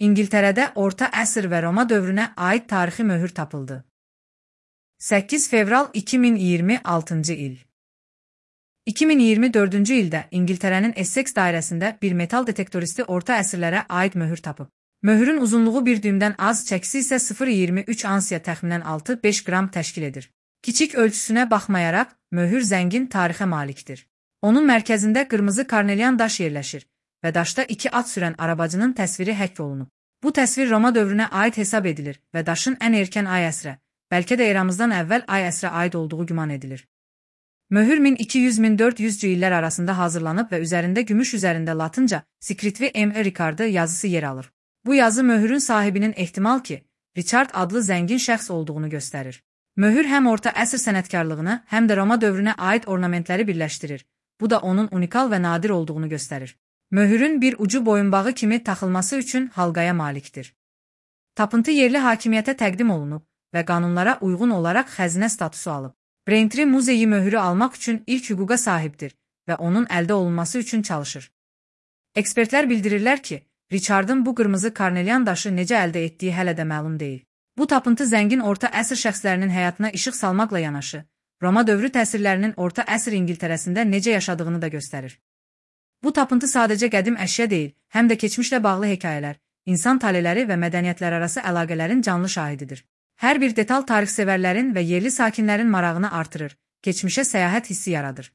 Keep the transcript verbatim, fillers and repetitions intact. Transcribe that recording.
İngiltərədə Orta əsr və Roma dövrünə aid tarixi möhür tapıldı. səkkiz fevral iki min iyirmi altıncı il. iki min iyirmi dördüncü ildə İngiltərənin Essex dairəsində bir metal detektoristi orta əsrlərə aid möhür tapıb. Möhürün uzunluğu bir düymdən az, çəkisi isə sıfır nöqtə iyirmi üç ansiya təxminən altı beş qram təşkil edir. Kiçik ölçüsünə baxmayaraq, möhür zəngin tarixə malikdir. Onun mərkəzində qırmızı karnelian daş yerləşir və daşda iki at sürən arabacının təsviri həkk olunub. Bu təsvir Roma dövrünə aid hesab edilir və daşın ən erkən ay əsrə, bəlkə də eramızdan əvvəl ay əsrə aid olduğu güman edilir. Möhür min iki yüz min dörd yüzcü illər arasında hazırlanıb və üzərində gümüş üzərində latınca Scriptvi M. Ricardi yazısı yer alır. Bu yazı möhürün sahibinin ehtimal ki, Richard adlı zəngin şəxs olduğunu göstərir. Möhür həm orta əsr sənətkarlığını, həm də Roma dövrünə aid ornamentləri birləşdirir. Bu da onun unikal və nadir olduğunu göstərir. Möhürün bir ucu boyunbağı kimi taxılması üçün halqaya malikdir. Tapıntı yerli hakimiyyətə təqdim olunub və qanunlara uyğun olaraq xəzinə statusu alıb. Braintree muzeyi möhürü almaq üçün ilk hüquqa sahibdir və onun əldə olunması üçün çalışır. Ekspertlər bildirirlər ki, Richardın bu qırmızı karnelian daşı necə əldə etdiyi hələ də məlum deyil. Bu tapıntı zəngin orta əsr şəxslərinin həyatına işıq salmaqla yanaşı, Roma dövrü təsirlərinin orta əsr İngiltərəsində necə yaşadığını da göstərir. Bu tapıntı sadəcə qədim əşya deyil, həm də keçmişlə bağlı hekayələr, insan taleləri və mədəniyyətlər arası əlaqələrin canlı şahididir. Hər bir detal tarixsevərlərin və yerli sakinlərin marağını artırır, keçmişə səyahət hissi yaradır.